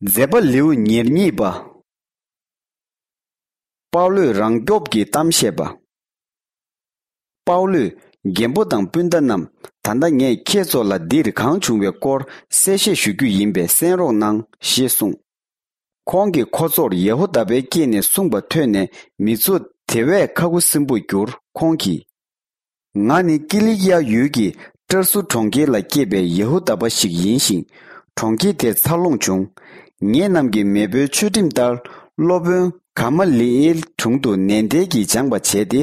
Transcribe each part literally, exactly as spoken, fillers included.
མཛད་པ་ལེའུ་ཉེར་གཉིས་པ། པའུ་ལོས་རང་སྐྱོབ་ཀྱི་གཏམ་བཤད་པ། པའུ་ལོས་རྒན་པོ་དང་སྤུན་ཟླ་རྣམས། ད་ལྟ་ངས་ཁྱེད་ཚོ་ལ་འདིར་གང་བྱུང་བའི་སྐོར་གསལ་བཤད་ཞུ་རྒྱུ་ཡིན་པས་གསན་རོགས་གནང་ཞེས་གསུངས། ཁོང་གིས་ཁོ་ཚོར་ཡེ་ཧུ་དཱ་པའི་སྐད་ནས་གསུངས་པ་ཐོས་ནས། མི་ཚོ་དེ་བས་ཁ་ཁུ་སིམ་པོར་གྱུར། ཁོང་གིས། ང་ནི་ཀི་ལི་ཀི་ཡ་ཡུལ་གྱི་ཏྲར་སུ་གྲོང་ཁྱེར་ལ་སྐྱེས་པའི་ཡེ་ཧུ་དཱ་པ་ཞིག་ཡིན་ཞིང་། གྲོང་ཁྱེར་དེར་འཚར་ལོངས་བྱུང་། ངེད་རྣམས་ཀྱི་མེས་པོའི་ཆོས་ཁྲིམས་ལྟར། སློབ་དཔོན་ག་མ་ལི་ཨེལ་དྲུང་དུ་ནན་ཏན་གྱིས་སྦྱངས་པ་བྱས་ཏེ།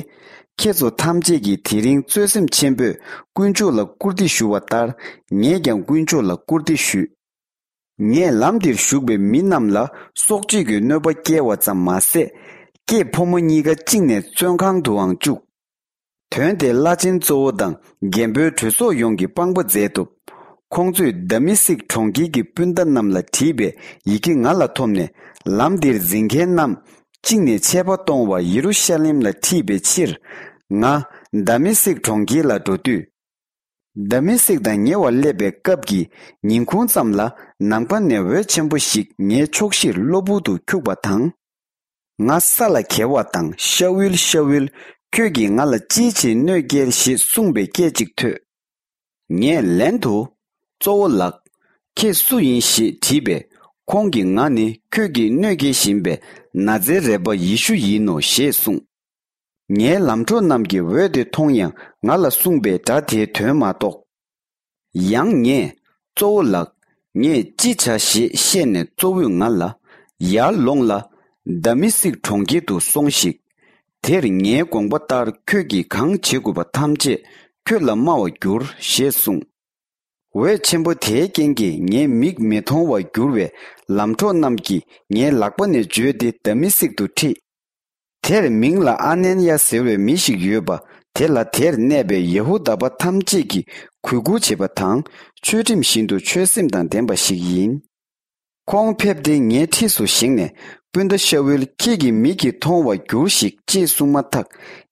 ཁྱེད་ཚོ་ཐམས་ཅད་ཀྱིས་དེ་རིང་བརྩོན་སེམས་ཆེན་པོས་དཀོན་མཆོག་ལ་བཀུར་སྟི་ཞུ་བ་ལྟར། ངས་ཀྱང་དཀོན་མཆོག་ལ་བཀུར་སྟི་ཞུས། ངས་ལམ་འདིར་བཞུགས་པའི་མི་རྣམས་ལ་སྲོག་གཅོད་ཀྱི་གནོད་པ་བསྐྱལ་བ་ཙམ་མ་ཟད། སྐྱེས་ཕོ་མོ་གཉིས་ཀ་བཅིངས་ནས་བཙོན་ཁང་དུའང་བཅུག། དོན་དེ་བླ་ཆེན་གཙོ་བོ་དང་རྒན་པོའི་གྲོས་ཚོགས་ཡོངས་ཀྱིས་དཔང་པོ་མཛད་འདུག། ཁོང་ཚོས་དཱ་མི་སིག་གྲོང་ཁྱེར་གྱི་སྤུན་ཟླ་རྣམས་ལ་བྲིས་པའི་ཡི་གེ་ང་ལ་ཐོབ་ནས། ལམ་འདིར་འཛིན་མཁན་རྣམས་བཅིངས་ནས་ཆད་པ་གཏོང་བར་ཡེ་རུ་ཤ་ལེམ་ལ་ཁྲིད་པའི་ཕྱིར། ང་དཱ་མི་སིག་གྲོང་ཁྱེར་ལ་འགྲོ་དུས། དཱ་མི་སིག་དང་ཉེ་བར་སླེབས་པའི་སྐབས་ཀྱི་ཉིན་གུང་ཙམ་ལ། ནམ་མཁའ་ནས་འོད་ཆེན་པོ་ཞིག་ངའི་ཕྱོགས་བཞིར་གློ་བུར་དུ་འཁྱུག་པ་དང་། ང་ས་ལ་འགྱེལ་བ་དང་། ཤ་ཨུལ། ཤ་ཨུལ། ཁྱོད་ཀྱིས་ང་ལ་ཅིའི་ཕྱིར་གནོད་སྐྱེལ། ཞེས་གསུངས་པའི་སྐད་ཅིག་ཐོས། ངས་ལན་དུ། གཙོ་བོ་ལགས། ཁྱེད་སུ་ཡིན་ཞེས་དྲིས་པས། ཁོང་གིས་ང་ནི་ཁྱོད་ཀྱིས་གནོད་སྐྱེལ་བཞིན་པའི་ན་ཛེ་རད་པ་ཡེ་ཤུ་ཡིན་ནོ་ཞེས་གསུངས། ངའི་ལམ་གྲོགས་རྣམས་ཀྱིས་འོད་དེ་མཐོང་ཡང་། ང་ལ་གསུངས་པའི་སྒྲ་དེའི་དོན་མ་རྟོགས། ཡང་ངས། གཙོ་བོ་ལགས། ངས་ཅི་བྱ་ཞེས་བཤད་ནས། གཙོ་བོས་ང་ལ། ཡར་ལོངས་ལ། དཱ་མི་སིག་གྲོང་ཁྱེར་དུ་སོང་ཞིག། དེར་ངའི་དགོངས་པ་ལྟར་ཁྱོད་ཀྱིས་གང་བྱེད་དགོས་པ་ཐམས་ཅད་ཁྱོད་ལ་སྨྲ་བར་འགྱུར། ཞེས་གསུངས། འོད་ཆེན་པོ་དེའི་རྐྱེན་གྱིས་ངའི་མིག་མི་མཐོང་བར་གྱུར་བས། ལམ་གྲོགས་རྣམས་ཀྱིས་ངའི་ལག་པ་ནས་བརྗོད་དེ་དཱ་མི་སིག་ཏུ་ཁྲིད། དེར་མིང་ལ་ཨ་ནན་ཡ་ཟེར་བའི་མི་ཞིག་ཡོད་པ། དེ་ལ་དེར་གནས་པའི་ཡེ་ཧུ་དཱ་པ་ཐམས་ཅད་ཀྱིས་གུས་བཀུར་བྱེད་པ་དང་། ཆོས་ཁྲིམས་བཞིན་དུ་ཆོས་སེམས་དང་ལྡན་པ་ཞིག་ཡིན། ཁོང་ཕེབས་ཏེ་ངའི་འཁྲིས་སུ་བཞེངས་ནས། སྤུན་ཟླ་ཤ་ཨུལ། ཁྱེད་ཀྱི་མིག་གིས་མཐོང་བར་འགྱུར་ཞིག། ཅེས་གསུངས་མ་ཐག།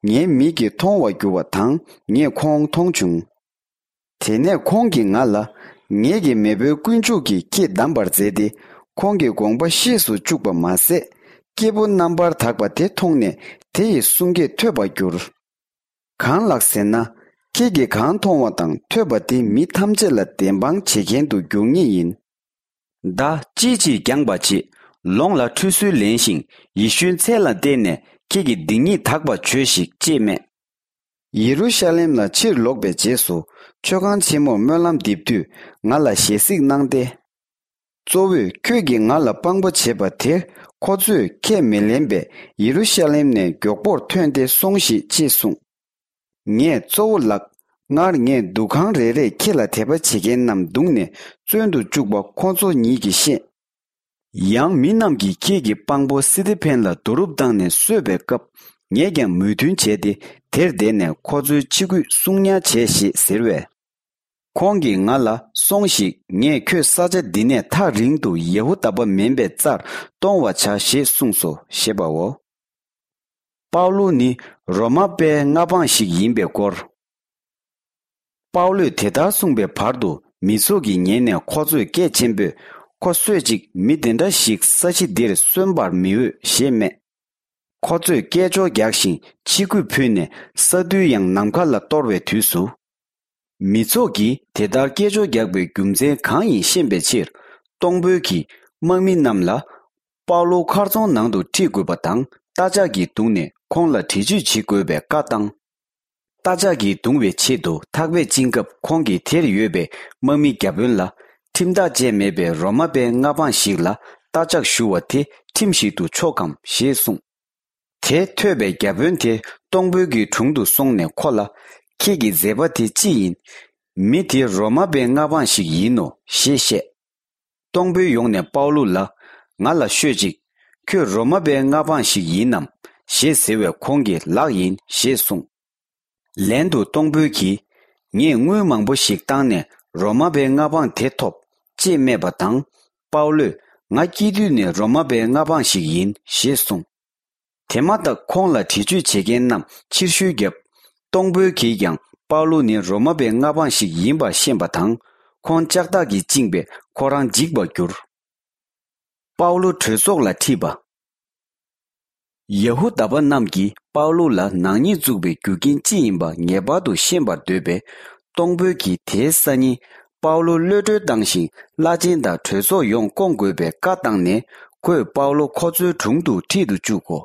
ངའི་མིག་གིས་མཐོང་བར་གྱུར་བ་དང་། ངས་ཁོང་མཐོང་བྱུང་། དེ་ནས་ཁོང་གིས་ང་ལ། ངེད་ཀྱི་མེས་པོའི་དཀོན་མཆོག་གིས་ཁྱེད་བདམས་པར་མཛད་དེ། ཁོང་གི་དགོངས་པ་ཤེས་སུ་བཅུག་པ་མ་ཟད། སྐྱེས་བུ་རྣམ་པར་དག་པ་དེ་མཐོང་ནས། དེ་ཡི་གསུང་སྐད་ཐོས་པར་གྱུར། གང་ལགས་ཟེར་ན། ཁྱེད་ཀྱིས་གང་མཐོང་བ་དང་ཐོས་པ་དེ་མི་ཐམས་ཅད་ལ་བདེན་དཔང་བྱེད་མཁན་དུ་འགྱུར་ངེས་ཡིན། མདའ་ཅིའི་ཕྱིར་བརྒྱངས་པ་བྱེད། ལོངས་ལ་ཁྲུས་གསོལ་ལེན་ཞིང་། ཡེ་ཤུའི་མཚན་ལ་བརྟེན་ནས་ཁྱེད་ཀྱི་སྡིག་ཉེས་དག་པར་བྱོས་ཤིག། ཅེས་སྨྲས། ཡེ་རུ་ཤ་ལེམ་ལ་ཕྱིར་ལོག་པའི་རྗེས་སུ། མཆོད་ཁང་ཆེན་མོར་སྨོན་ལམ་འདེབས་དུས། ང་ལ་ཞལ་གཟིགས་གནང་སྟེ། གཙོ་བོས་ཁྱོད་ཀྱིས་ང་ལ་དཔང་པོ་བྱས་པ་དེར། ཁོ་ཚོས་ཁས་མི་ལེན་པས། ཡེ་རུ་ཤ་ལེམ་ནས་མགྱོགས་པོར་ཐོན་ཏེ་སོང་ཞིག། ཅེས་གསུངས། ངས། གཙོ་བོ་ལགས། སྔར་ངས་འདུ་ཁང་རེ་རེས་ཁྱེད་ལ་དད་པ་བྱེད་མཁན་རྣམས་བརྡུངས་ནས་བཙོན་དུ་བཅུག་པ་ཁོ་ཚོ་ཉིད་ཀྱིས་ཤེས། ཡང་མི་རྣམས་ཀྱིས་ཁྱེད་ཀྱི་དཔང་པོ་སི་ཏི་ཕེན་ལ་རྡོ་རུབ་བཏང་ནས་གསོད་པའི་སྐབས། ངས་ཀྱང་མོས་མཐུན་བྱས་ཏེ། དེར་བསྡད་ནས་ཁོ་ཚོའི་ཕྱི་གོས་སྲུང་ཉར་བྱས་ཞེས་ཟེར་བས། ཁོང་གིས་ང་ལ། སོང་ཞིག། ངས་ཁྱོད་ས་ཆ་འདི་ནས་ཐག་རིང་དུ་ཡེ་ཧུ་དཱ་པ་མིན་པའི་རྩར་གཏོང་བར་བྱ་ཞེས་གསུངས་སོ། ཞེས་པའོ། པའུ་ལུ་ནི་རོ་མ་པའི་མངའ་འབངས་ཤིག་ཡིན་པའི་སྐོར། པའུ་ལུས་དེ་ལྟར་གསུངས་པའི་བར་དུ། མི་ཚོགས་ཀྱིས་ཉན་ནས་ཁོ་ཚོས་སྐད་ཆེན་པོས། ཁོ་གསོད་ཅིག། མི་དེ་འདྲ་ཞིག་ས་གཞི་འདིར་གསོན་པར་མི་འོས། ཞེས་སྨྲས། ཁོ་ཚོས་སྐད་ཅོར་རྒྱག་ཞིང་། ཕྱི་གུས་ཕུལ་ནས། ས་རྡུལ་ཡང་ནམ་མཁའ་ལ་གཏོར་བའི་དུས་སུ། མི་ཚོགས་ཀྱིས་དེ་ལྟར་སྐད་ཅོར་རྒྱག་པའི་རྒྱུ་མཚན་གང་ཡིན་ཤེས་པའི་ཕྱིར། གཏོང་ཕོད་ཀྱིས་དམག་མི་རྣམས་ལ། པའུ་ལུ་མཁར་རྫོང་ནང་དུ་ཁྲིད་དགོས་པ་དང་། རྟ་ལྕག་གིས་བརྡུངས་ནས་ཁོང་ལ་འདྲི་གཅོད་བྱེད་དགོས་པའི་བཀའ་བཏང་། རྟ་ལྕག་གིས་བརྡུང་བའི་ཆེད་དུ་ཐག་པས་བཅིངས་སྐབས། ཁོང་གིས་དེར་ཡོད་པའི་དམག་མི་བརྒྱ་དཔོན་ལ། ཁྲིམས་ཐག་བཅད་མེད་པའི་རོ་མ་པའི་མངའ་འབངས་ཤིག་ལ་རྟ་ལྕག་གཞུ་བ་དེ་ཁྲིམས་ཤིག་ཏུ་ཆོག་གམ་ཞེས་གསུངས། དེ་ཐོས་པས་བརྒྱ་དཔོན་དེ་གཏོང་ཕོད་ཀྱི་དྲུང་དུ་སོང་ནས་ཁོ་ལ། ཁྱེད་ཀྱི་མཛད་པ་དེ་ཅི་ཡིན། མི་དེ་རོ་མ་པའི་མངའ་འབངས་ཤིག་ཡིན་ནོ་ཞེས་བཤད། གཏོང་ཕོད་ཡོང་ནས་པའུ་ལུ་ལ། ང་ལ་ཤོད་ཅིག། ཁྱོད་རོ་མ་པའི་མངའ་འབངས་ཤིག་ཡིན་ནམ། ཞེས་ཟེར་བས། ཁོང་གིས་ལགས་ཡིན་ཞེས་གསུངས། ལན་དུ་གཏོང་ཕོད་ཀྱིས། ངས་དངུལ་མང་པོ་ཞིག་བཏང་ནས་རོ་མ་པའི་མངའ་འབངས་དེ་ཐོབ། ཅེས་སྨྲས་པ་དང་། པའུ་ལུས། ང་སྐྱེས་དུས་ནས་རོ་མ་པའི་མངའ་འབངས་ཤིག་ཡིན་ཞེས་གསུངས། དེ་མ་ཐག་ཁོང་ལ་འདྲི་གཅོད་བྱེད་མཁན་རྣམས་ཕྱིར་བཤོལ་བརྒྱབ། གཏོང་ཕོད་ཀྱིས་ཀྱང་པའུ་ལུ་ནི་རོ་མ་པའི་མངའ་འབངས་ཤིག་ཡིན་པར་ཤེས་པ་དང་། ཁོང་ལྕགས་ཐག་གིས་བཅིངས་པས་ཁོ་རང་འཇིགས་པར་གྱུར། པའུ་ལོ་གྲོས་ཚོགས་ལ་ཁྲིད་པ། ཡ་ཧུ་དཱ་པ་རྣམས་ཀྱིས་པའུ་ལོ་ལ་ནག་ཉེས་བཙུགས་པའི་རྒྱུ་རྐྱེན་ཅི་ཡིན་པ་ངེས་པར་དུ་ཤེས་པར་འདོད་པས། གཏོང་ཕོད་ཀྱིས་དེའི་སང་ཉིན་པའུ་ལོ་གློད་གྲོལ་བཏང་ཞིང་བླ་ཆེན་དང་གྲོས་ཚོགས་ཡོངས་བསྐོང་དགོས་པའི་བཀའ་བཏང་ནས། ཁོས་པའུ་ལོ་ཁོ་ཚོའི་དྲུང་དུ་ཁྲིད་དུ་བཅུག་གོ།